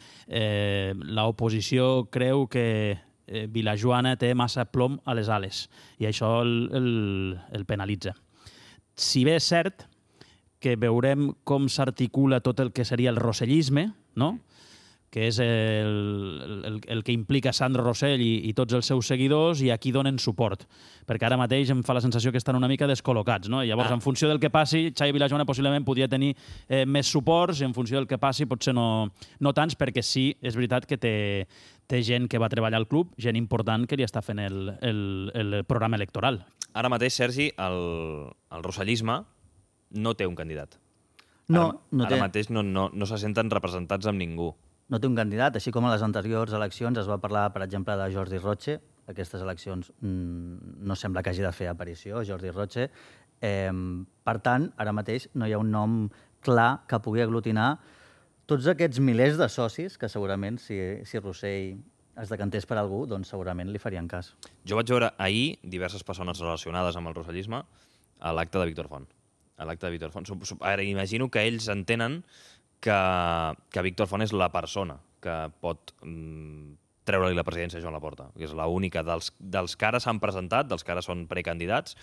l'oposició creu que Vilajoana té massa plom a les ales i això el penalitza. Si bé és cert que veurem com s'articula tot el que seria el rossellisme, no? Que és el que implica Sandro Rossell i tots els seus seguidors, i a qui donen suport. Perquè ara mateix em fa la sensació que estan una mica descol·locats, no? I llavors, en funció del que passi, Xavi Vilajoana possiblement podria tenir més suports, i en funció del que passi potser no tants, perquè sí, és veritat que té gent que va treballar al club, gent important que li està fent el programa electoral. Ara mateix, Sergi, el rossellisme no té un candidat. Ara mateix no se senten representats amb ningú. No té un candidat, així com a les anteriors eleccions es va parlar, per exemple, de Jordi Roche. Aquestes eleccions no sembla que hagi de fer aparició, Jordi Roche. Per tant, ara mateix no hi ha un nom clar que pugui aglutinar tots aquests milers de socis que segurament, si Rossell es decantés per algú, doncs segurament li farien cas. Jo vaig veure ahir diverses persones relacionades amb el rossellisme a l'acte de Víctor Font. Ara, imagino que ells entenen que Víctor Font és la persona que pot treure-li la presidència a Joan Laporta, que és l'única dels que ara s'han presentat, dels que ara són precandidats,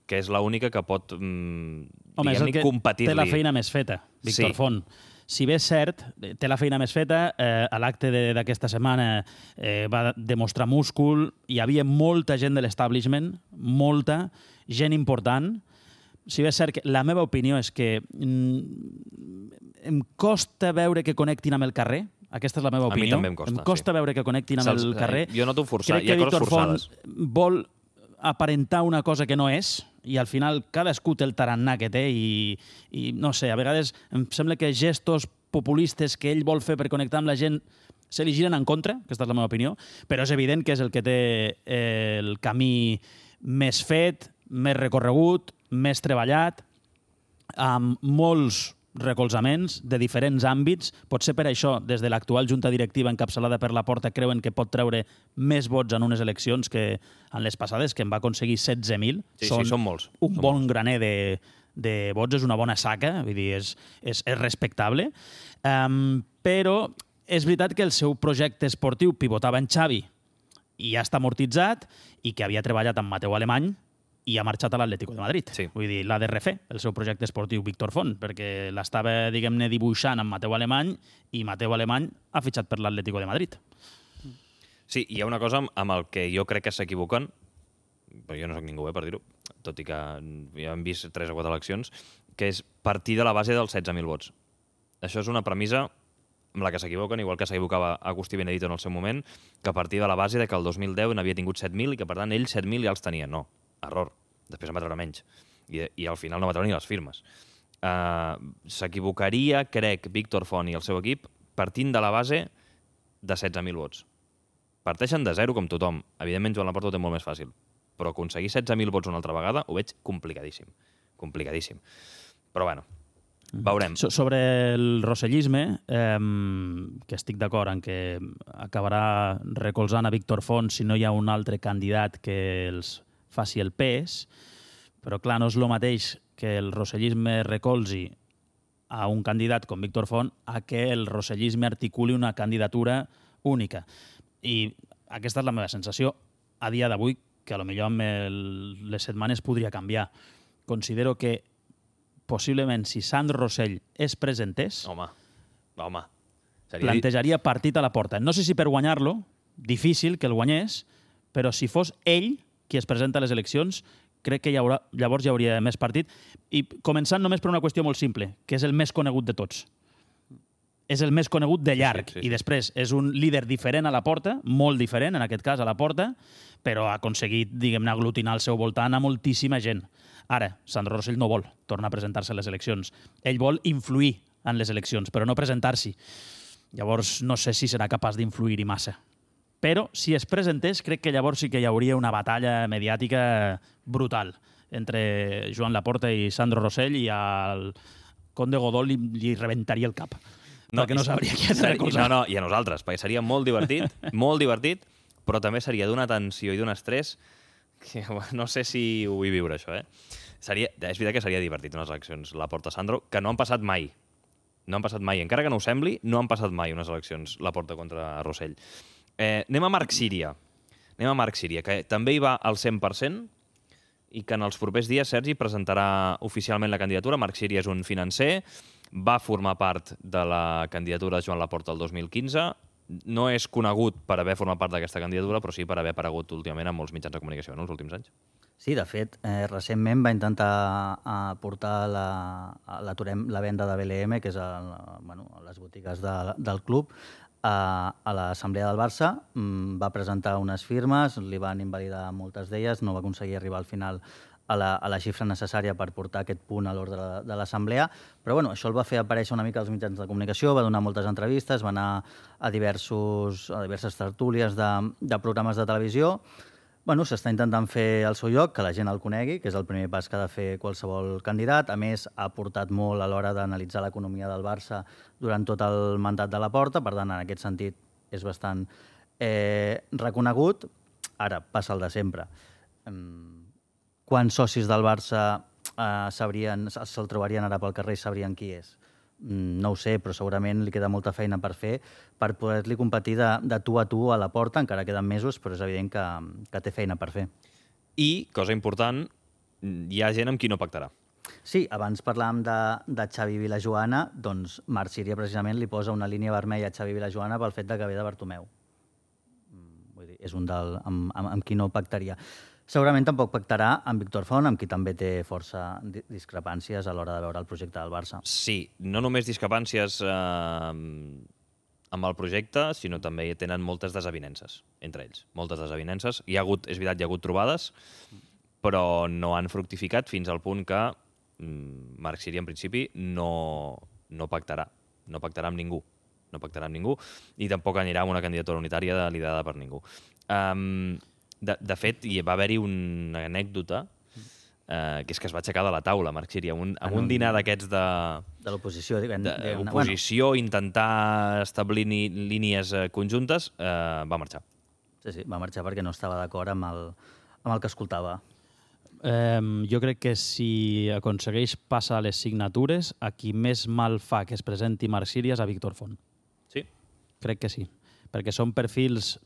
que és l'única que pot, diguem-ne, competir-li. Té la feina més feta, Víctor Font. Si bé és cert, té la feina més feta, a l'acte d'aquesta setmana va demostrar múscul, hi havia molta gent de l'establishment, molta, gent important. Si bé és cert que la meva opinió és que em costa veure que connectin amb el carrer. Aquesta és la meva opinió. A mi també em costa. Em costa veure que connectin amb el carrer. Jo noto forçat. Crec que Víctor Font vol aparentar una cosa que no és, i al final cadascú té el tarannà que té i no sé, a vegades em sembla que gestos populistes que ell vol fer per connectar amb la gent se li giren en contra, aquesta és la meva opinió, però és evident que és el que té el camí més fet, més recorregut, més treballat, amb molts recolzaments de diferents àmbits. Potser per això, des de l'actual junta directiva encapçalada per Laporta, creuen que pot treure més vots en unes eleccions que en les passades, que en va aconseguir 16.000. Sí, són molts. Un bon graner de vots, és una bona saca, vull dir, és respectable. Però és veritat que el seu projecte esportiu pivotava en Xavi i ja està amortitzat, i que havia treballat amb Mateu Alemany i ha marxat a l'Atlético de Madrid. Sí. Vull dir, l'ha de refer, el seu projecte esportiu Víctor Font, perquè l'estava, diguem-ne, dibuixant amb Mateu Alemany, i Mateu Alemany ha fitxat per l'Atlético de Madrid. Sí, hi ha una cosa amb el que jo crec que s'equivoquen, però jo no soc ningú, per dir-ho, tot i que ja hem vist 3 o 4 eleccions, que és partir de la base dels 16.000 vots. Això és una premissa amb la que s'equivoquen, igual que s'equivocava Agustí Benedito en el seu moment, que a partir de la base de que el 2010 n'havia tingut 7.000 i que, per tant, ell 7.000 ja els tenia. No, error. Després en va treure menys. I al final no va treure ni les firmes. S'equivocaria, crec, Víctor Font i el seu equip partint de la base de 16.000 vots. Parteixen de zero, com tothom. Evidentment, Joan Laporta ho té molt més fàcil. Però aconseguir 16.000 vots una altra vegada ho veig complicadíssim. Complicadíssim. Però, bueno, Veurem. Sobre el rossellisme, que estic d'acord en que acabarà recolzant a Víctor Font si no hi ha un altre candidat que els faci el pes, però clar, no és el mateix que el rossellisme recolzi a un candidat com Víctor Font a que el rossellisme articuli una candidatura única. I aquesta és la meva sensació a dia d'avui, que potser amb les setmanes podria canviar. Considero que possiblement si Sandro Rosell es presentés, Home. plantejaria partit a la porta. No sé si per guanyar-lo, difícil que el guanyés, però si fos ell qui es presenta a les eleccions, crec que llavors hi hauria més partit. I començant només per una qüestió molt simple, que és el més conegut de tots. És el més conegut de llarg. Sí. I després és un líder diferent a la porta, molt diferent, en aquest cas, a la porta, però ha aconseguit, diguem-ne, aglutinar al seu voltant a moltíssima gent. Ara, Sandro Rosell no vol tornar a presentar-se a les eleccions. Ell vol influir en les eleccions, però no presentar-s'hi. Llavors, no sé si serà capaç d'influir-hi massa. Però, si es presentés, crec que llavors sí que hi hauria una batalla mediàtica brutal entre Joan Laporta i Sandro Rosell, i al Conde Godó li rebentaria el cap. Perquè no sabria qui has de recolzar. No, i a nosaltres, perquè seria molt divertit, però també seria d'una tensió i d'un estrès que no sé si ho vull viure, això, És veritat que seria divertit unes eleccions Laporta-Sandro, que no han passat mai. No han passat mai. Encara que no ho sembli, no han passat mai unes eleccions Laporta contra Rosell. Anem a Marc Síria. Que també hi va al 100% i que en els propers dies, Sergi, presentarà oficialment la candidatura. Marc Síria és un financer, va formar part de la candidatura de Joan Laporta el 2015, no és conegut per haver format part d'aquesta candidatura, però sí per haver aparegut últimament en molts mitjans de comunicació en els últims anys. Sí, de fet, recentment va intentar portar la venda de BLM, que és les botigues del club, a l'assemblea del Barça. Va presentar unes firmes, li van invalidar moltes d'elles, no va aconseguir arribar al final a la xifra necessària per portar aquest punt a l'ordre de l'assemblea, però això el va fer aparèixer una mica als mitjans de comunicació, va donar moltes entrevistes, va anar a diverses tertúlies de programes de televisió. S'està intentant fer el seu lloc, que la gent el conegui, que és el primer pas que ha de fer qualsevol candidat. A més, ha aportat molt a l'hora d'analitzar l'economia del Barça durant tot el mandat de Laporta, per tant, en aquest sentit, és bastant reconegut. Ara, passa el de sempre. Quants socis del Barça se'l trobarien ara pel carrer i sabrien qui és? No ho sé, però segurament li queda molta feina per fer per poder-li competir de tu a tu a la porta. Encara queden mesos, però és evident que té feina per fer. I, cosa important, hi ha gent amb qui no pactarà. Sí, abans parlàvem de Xavi Vilajoana, doncs Marc Síria precisament li posa una línia vermella a Xavi Vilajoana pel fet de que ve de Bartomeu. Vull dir, és un amb qui no pactaria. Segurament tampoc pactarà amb Víctor Font, amb qui també té força discrepàncies a l'hora de veure el projecte del Barça. Sí, no només discrepàncies amb el projecte, sinó també tenen moltes desavinences entre ells. Moltes desavinences. És veritat, hi ha hagut trobades, però no han fructificat fins al punt que Marc Síria, en principi, no pactarà. No pactarà amb ningú. No pactarà amb ningú i tampoc anirà amb una candidatura unitària liderada per ningú. De fet, hi va haver-hi una anècdota que és que es va aixecar de la taula, Marc Síria, amb un dinar d'aquests de l'oposició. D'oposició, intentar establir línies conjuntes, va marxar. Sí, va marxar perquè no estava d'acord amb el que escoltava. Jo crec que si aconsegueix passar les signatures, a qui més mal fa que es presenti Marc Síria és a Víctor Font. Sí? Crec que sí, perquè són perfils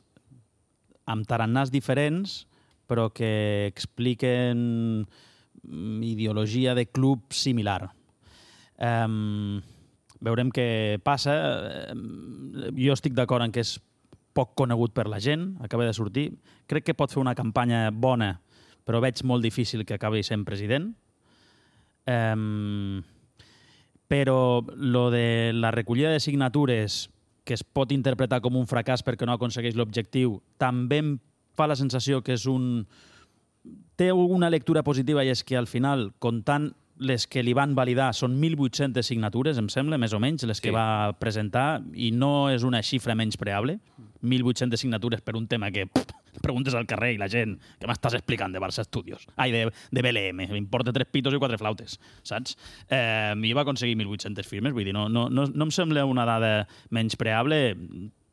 amb tarannàs diferents, però que expliquen ideologia de club similar. Veurem què passa. Jo estic d'acord en que és poc conegut per la gent, acaba de sortir. Crec que pot fer una campanya bona, però veig molt difícil que acabi sent president. Però lo de la recollida de signatures, que es pot interpretar com un fracàs perquè no aconsegueix l'objectiu, també em fa la sensació que té una lectura positiva, i és que al final, comptant les que li van validar, són 1.800 signatures, em sembla, més o menys, les que va presentar, i no és una xifra menyspreable. 1.800 signatures per un tema que Preguntes al carrer i la gent, què m'estàs explicant de Barça Studios? Ai, de BLM, m'importa 3 pitos i 4 flautes, saps? I va aconseguir 1.800 firmes, vull dir, no em sembla una dada menyspreable,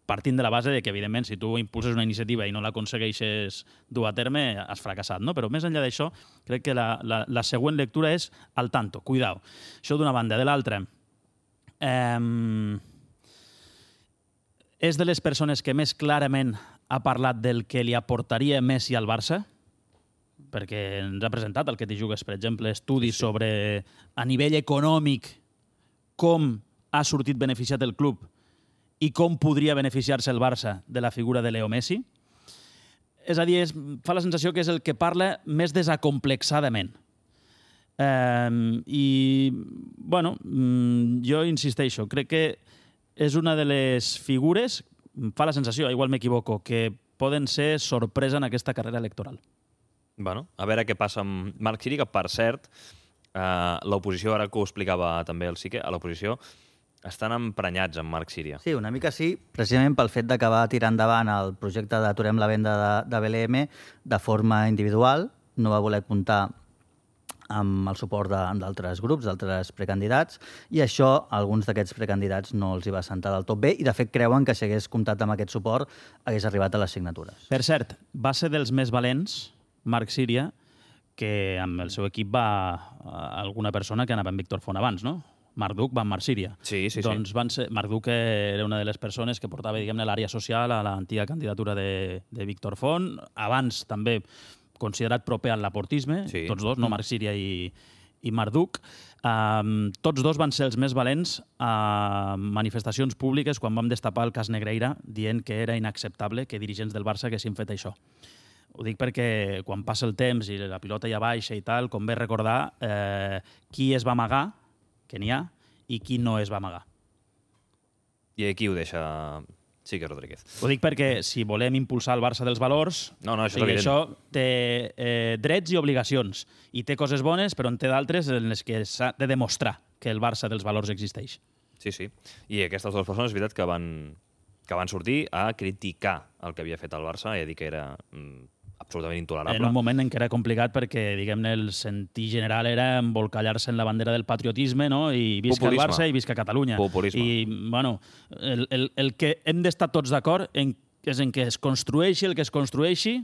partint de la base de que, evidentment, si tu impulses una iniciativa i no l'aconsegueixes dur a terme, has fracassat, no? Però més enllà d'això, crec que la següent lectura és al tanto, cuidao. Això d'una banda. De l'altra, és de les persones que més clarament ha parlat del que li aportaria Messi al Barça, perquè ens ha presentat el que t'hi jugues, per exemple, estudis sobre, a nivell econòmic, com ha sortit beneficiat el club i com podria beneficiar-se el Barça de la figura de Leo Messi. És a dir, fa la sensació que és el que parla més desacomplexadament. I, bueno, jo insisteixo, crec que és una de les figures, fa la sensació, igual m'equivoco, que poden ser sorpresa en aquesta carrera electoral. Bueno, a veure què passa amb Marc Siri, que, per cert, l'oposició, ara que ho explicava també el Sique, a l'oposició estan emprenyats amb Marc Síria. Sí, una mica sí, precisament pel fet que va tirar endavant el projecte d'Aturem la venda de BLM de forma individual, no va voler comptar amb el suport d'altres grups, d'altres precandidats, i això a alguns d'aquests precandidats no els hi va sentar del tot bé, i de fet creuen que si hagués comptat amb aquest suport hagués arribat a les signatures. Per cert, va ser dels més valents, Marc Síria, que amb el seu equip va alguna persona que anava amb Víctor Font abans, no? Marc Duc va amb Marc Síria. Sí. Doncs Marc Duc era una de les persones que portava, diguem-ne, l'àrea social a l'antiga candidatura de Víctor Font. Abans també considerat proper al laportisme, sí. Tots dos, no Marc Síria i Marc Duc. Tots dos van ser els més valents a manifestacions públiques quan vam destapar el cas Negreira, dient que era inacceptable que dirigents del Barça haguessin fet això. Ho dic perquè quan passa el temps i la pilota ja baixa i tal, convé recordar qui es va amagar, que n'hi ha, i qui no es va amagar. I aquí ho deixa Sique Rodríguez. Ho dic perquè si volem impulsar el Barça dels valors, això té drets i obligacions, i té coses bones, però en té d'altres en les que s'ha de demostrar que el Barça dels valors existeix. Sí. I aquestes dues persones, és veritat, que van sortir a criticar el que havia fet el Barça i a dir que era absolutament intolerable. En un moment en què era complicat perquè, diguem-ne, el sentir general era embolcallar-se en la bandera del patriotisme, no? I visca el Barça i visca Catalunya. Populisme. I, bueno, el que hem d'estar tots d'acord és en que es construeixi el que es construeixi,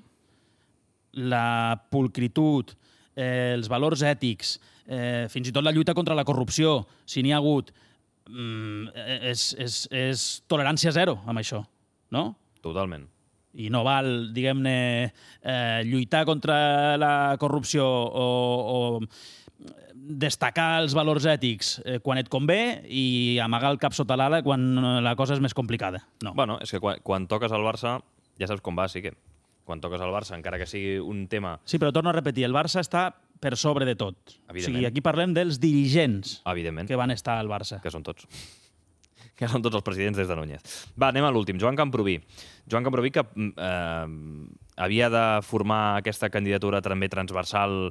la pulcritud, els valors ètics, fins i tot la lluita contra la corrupció, si n'hi ha hagut, és tolerància zero amb això, no? Totalment. I no val, diguem-ne, lluitar contra la corrupció o destacar els valors ètics quan et convé i amagar el cap sota l'ala quan la cosa és més complicada. No. Bueno, és que quan toques al Barça, ja saps com va, sí que. Quan toques al Barça, encara que sigui un tema... Sí, però torno a repetir, el Barça està per sobre de tot. O sigui, aquí parlem dels dirigents que van estar al Barça. Que són tots. Que són tots els presidents des de Núñez. Va, anem a l'últim. Joan Camprubí. Joan Camprubí, que havia de formar aquesta candidatura també transversal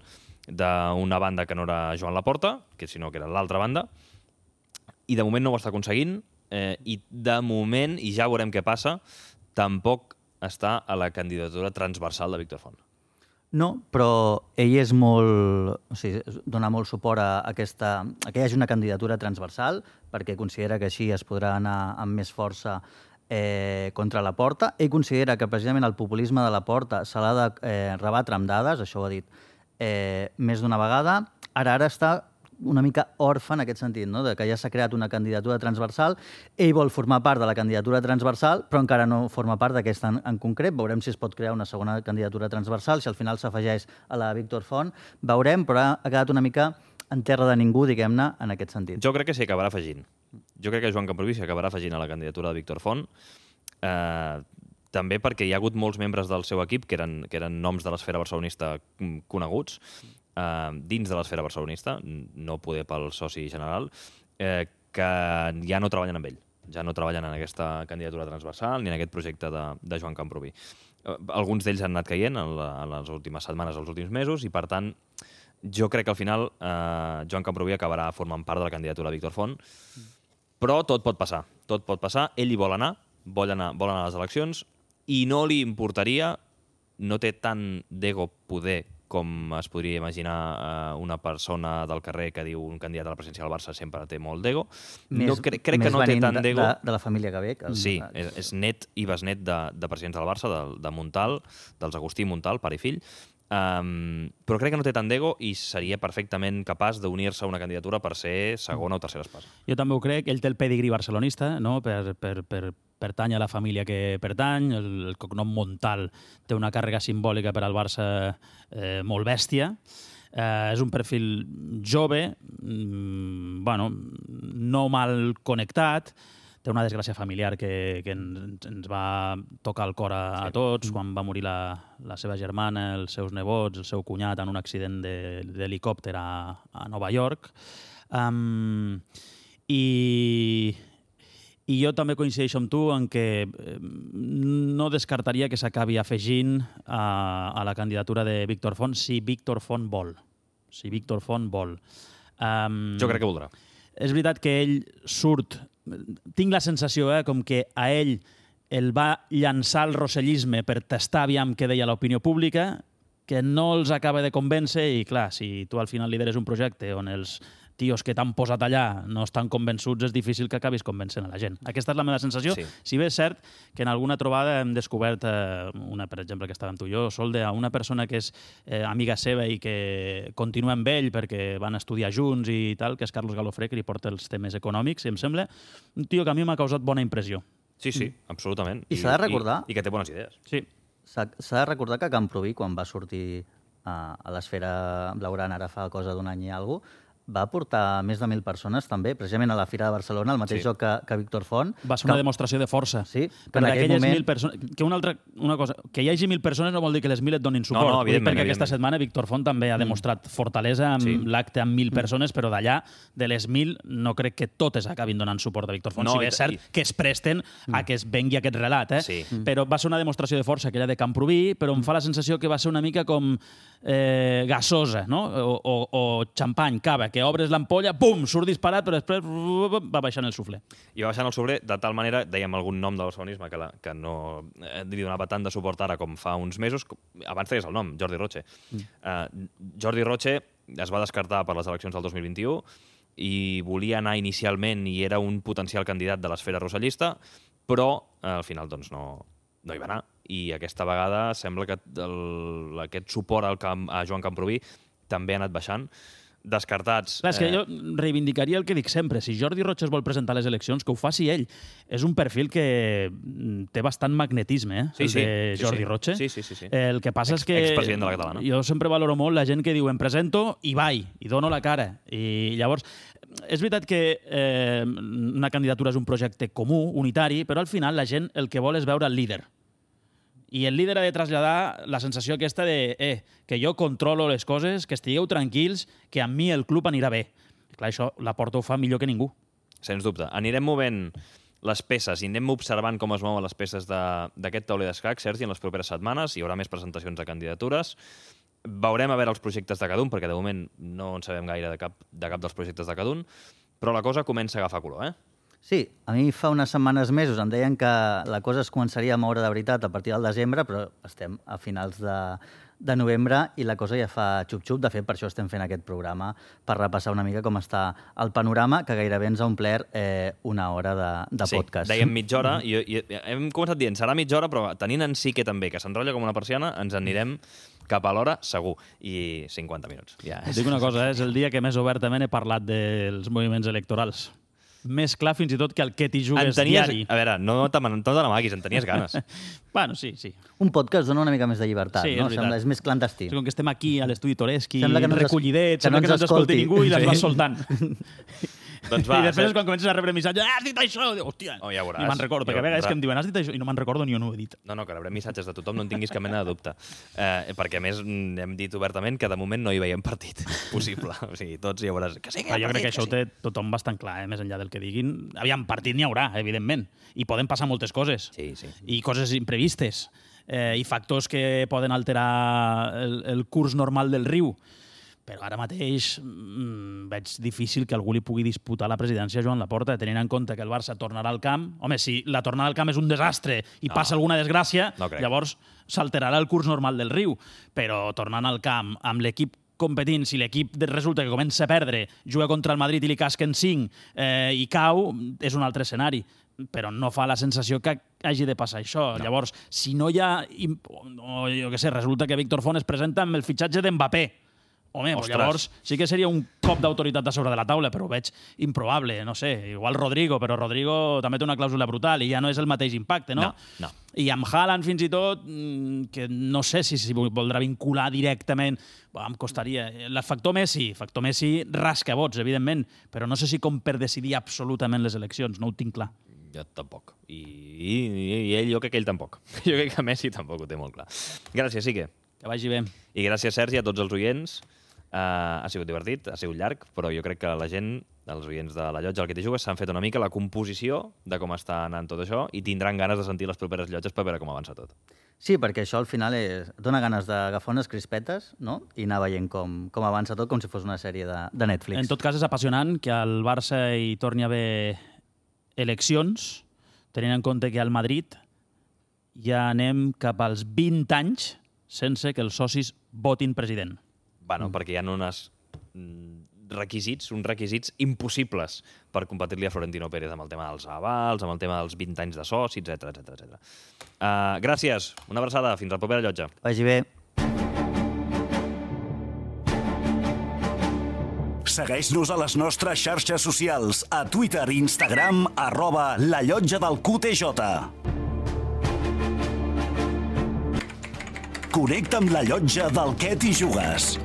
d'una banda que no era Joan Laporta, que sinó que era l'altra banda, i de moment no ho està aconseguint, i de moment, i ja veurem què passa, tampoc està a la candidatura transversal de Víctor Font. No, però ell és molt... O sigui, dona molt suport a que hi hagi una candidatura transversal, perquè considera que així es podrà anar amb més força contra la Porta. Ell considera que precisament el populisme de la Porta se l'ha de rebatre amb dades, això ho ha dit més d'una vegada. Ara està una mica orfe en aquest sentit, no? De que ja s'ha creat una candidatura transversal. Ell vol formar part de la candidatura transversal, però encara no forma part d'aquesta en concret. Veurem si es pot crear una segona candidatura transversal, si al final s'afegeix a la Víctor Font. Veurem, però ha quedat una mica en terra de ningú, diguem-ne, en aquest sentit. Jo crec que s'hi acabarà afegint. Jo crec que Joan Camprubí s'hi acabarà afegint a la candidatura de Víctor Font, també perquè hi ha hagut molts membres del seu equip que eren noms de l'esfera barcelonista coneguts, dins de l'esfera barcelonista, no poder pel soci general, que ja no treballen amb ell. Ja no treballen en aquesta candidatura transversal ni en aquest projecte de Joan Camprubí. Alguns d'ells han anat caient en les últimes setmanes, els últims mesos, i per tant jo crec que al final Joan Camprubí acabarà formant part de la candidatura de Víctor Font, però tot pot passar. Tot pot passar. Ell hi vol anar a les eleccions, i no li importaria no té tant d'ego poder com es podria imaginar una persona del carrer que diu un candidat a la presidència del Barça sempre té molt d'ego. Crec que no té tant d'ego. De la família que ve. Sí, és net i besnet de presidents del Barça, de Montal, dels Agustí Montal, pare i fill. Però crec que no té tant d'ego i seria perfectament capaç d'unir-se a una candidatura per ser segona o tercera espasa. Jo també ho crec. Ell té el pedigrí barcelonista, no? Per pertany a la família que pertany. El cognom Montal té una càrrega simbòlica per al Barça molt bèstia. És un perfil jove, no mal connectat, té una desgràcia familiar que ens va tocar el cor a tots, quan va morir la seva germana, els seus nebots, el seu cunyat en un accident d'helicòpter a Nova York. I jo també coincideixo amb tu en què no descartaria que s'acabi afegint a la candidatura de Víctor Font si Víctor Font vol. Jo crec que voldrà. És veritat que ell surt... Tinc la sensació com que a ell el va llançar el rossellisme per tastar aviam què deia l'opinió pública, que no els acaba de convèncer i, clar, si tu al final lideres un projecte on els tios que t'han posat allà no estan convençuts, és difícil que acabis convencent a la gent. Aquesta és la meva sensació. Sí. Si bé és cert que en alguna trobada hem descobert una, per exemple, que estàvem tu i jo, Solde, a una persona que és amiga seva i que continua amb ell perquè van estudiar junts i tal, que és Carlos Galofré, que li porta els temes econòmics, i em sembla un tio que a mi m'ha causat bona impressió. Sí, absolutament. I s'ha de recordar... I que té bones idees. Sí. S'ha de recordar que Camproví, quan va sortir a l'esfera blaugrana ara fa cosa d'un any i alguna cosa, va portar més de 1.000 persones també, precisament a la Fira de Barcelona, el mateix joc que Víctor Font. Va ser una demostració de força. Sí, que en aquell moment... 1.000 persones... Una cosa, que hi hagi 1.000 persones no vol dir que les 1.000 et donin suport. No, evidentment. Perquè aquesta setmana Víctor Font també ha demostrat fortalesa amb l'acte amb 1.000 persones, però d'allà, de les 1.000, no crec que totes acabin donant suport a Víctor Font. Si bé és cert que es presten a que es vengui aquest relat, però va ser una demostració de força aquella de Camproví, però em fa la sensació que va ser una mica com gasosa, no? O xampany, cava, que obres l'ampolla, pum, surt disparat, però després va baixant el suflé. I va baixant el suflé de tal manera, dèiem algun nom de barcelonisme que no li donava tant de suport ara com fa uns mesos, abans deies el nom, Jordi Roche. Jordi Roche es va descartar per les eleccions del 2021 i volia anar inicialment i era un potencial candidat de l'esfera rossellista, però al final doncs no hi va anar. I aquesta vegada sembla que aquest suport a Joan Camproví també ha anat baixant. Descartats. Clar, és que jo reivindicaria el que dic sempre. Si Jordi Roche es vol presentar a les eleccions, que ho faci ell. És un perfil que té bastant magnetisme, el de Jordi Roche. Sí. El que passa és que... Expresident de la Catalana. Jo sempre valoro molt la gent que diu em presento i vaig, i dono la cara. I llavors, és veritat que una candidatura és un projecte comú, unitari, però al final la gent el que vol és veure el líder. I el líder ha de traslladar la sensació aquesta de que jo controlo les coses, que estigueu tranquils, que amb mi el club anirà bé. Clar, això la Porta ho fa millor que ningú. Sens dubte. Anirem movent les peces i anem observant com es mouen les peces d'aquest tauler d'escac, Sergi, en les properes setmanes. Hi haurà més presentacions de candidatures. Veurem a veure els projectes de cada un, perquè de moment no en sabem gaire de cap dels projectes de cada un, però la cosa comença a agafar color, Sí, a mi fa unes setmanes, mesos, em deien que la cosa es començaria a moure de veritat a partir del desembre, però estem a finals de novembre i la cosa ja fa xup-xup. De fet, per això estem fent aquest programa, per repassar una mica com està el panorama, que gairebé ens ha omplert una hora de podcast. Sí, dèiem mitja hora, i hem començat dient serà mitja hora, però tenint en Sique també, que s'enrotlla com una persiana, ens anirem cap a l'hora, segur, i 50 minuts. Ja dic una cosa, és el dia que més obertament he parlat dels moviments electorals. Més clar fins i tot que el que t'hi jugues diari. A veure, no te n'amaguis, en tenies ganes. Bueno, sí. Un podcast dona una mica més de llibertat, no? Sembla, és més clandestí. Com que estem aquí a l'estudi Toreski, recollidets, sembla que no ens escolti ningú i les vas soltant. Doncs va, i després quan comences a rebre missatges, has dit això! Hòstia, ja veuràs. I me'n recordo, perquè a vegades que em diuen has dit això i no me'n recordo ni on ho he dit. No, que rebrem missatges de tothom, no en tinguis cap mena de dubte. Perquè a més hem dit obertament que de moment no hi veiem partit possible. O sigui, tots ja veuràs que sí que hi ha partit. Jo crec que això ho té tothom bastant clar, més enllà del que diguin. Aviam, partit n'hi haurà, evidentment. I poden passar moltes coses. Sí. I coses imprevistes. I factors que poden alterar el curs normal del riu. però ara mateix veig difícil que algú li pugui disputar la presidència a Joan Laporta, tenint en compte que el Barça tornarà al camp. Home, si la tornada al camp és un desastre i passa alguna desgràcia, llavors s'alterarà el curs normal del riu. Però tornant al camp amb l'equip competint, si l'equip resulta que comença a perdre, juga contra el Madrid i li casquen 5 i cau, és un altre escenari. Però no fa la sensació que hagi de passar això. Llavors, si no hi ha... O jo què sé, resulta que Víctor Font es presenta amb el fitxatge d'Mbappé. Home, llavors sí que seria un cop d'autoritat a sobre de la taula, però ho veig improbable, no sé, igual Rodrigo, però Rodrigo també té una clàusula brutal i ja no és el mateix impacte, no? No. I amb Haaland, fins i tot, que no sé si voldrà vincular directament, em costaria. El factor Messi rasca vots, evidentment, però no sé si com per decidir absolutament les eleccions, no ho tinc clar. Jo tampoc. I ell, jo crec que ell tampoc. Jo crec que Messi tampoc ho té molt clar. Gràcies, Sique. Que vagi bé. I gràcies, Sergi, a tots els oients. Ha sigut divertit, ha sigut llarg, però jo crec que la gent, els oients de la llotja al que t'hi jugues, s'han fet una mica la composició de com està anant tot això i tindran ganes de sentir les properes llotges per veure com avança tot. Sí, perquè això al final dona ganes d'agafar unes crispetes, no? I anar veient com avança tot, com si fos una sèrie de Netflix. En tot cas, és apassionant que al Barça hi torni a haver eleccions, tenint en compte que al Madrid ja anem cap als 20 anys sense que els socis votin president. Bueno, perquè hi ha uns requisits impossibles per competir-li a Florentino Pérez amb el tema dels avals, amb el tema dels 20 anys de soci, etc. Gràcies, una abraçada, fins a la propera llotja. Vagi bé. Segueix-nos a les nostres xarxes socials, a Twitter i Instagram, @lallotjadelqtj. Connecta amb la llotja del Què t'hi jugues.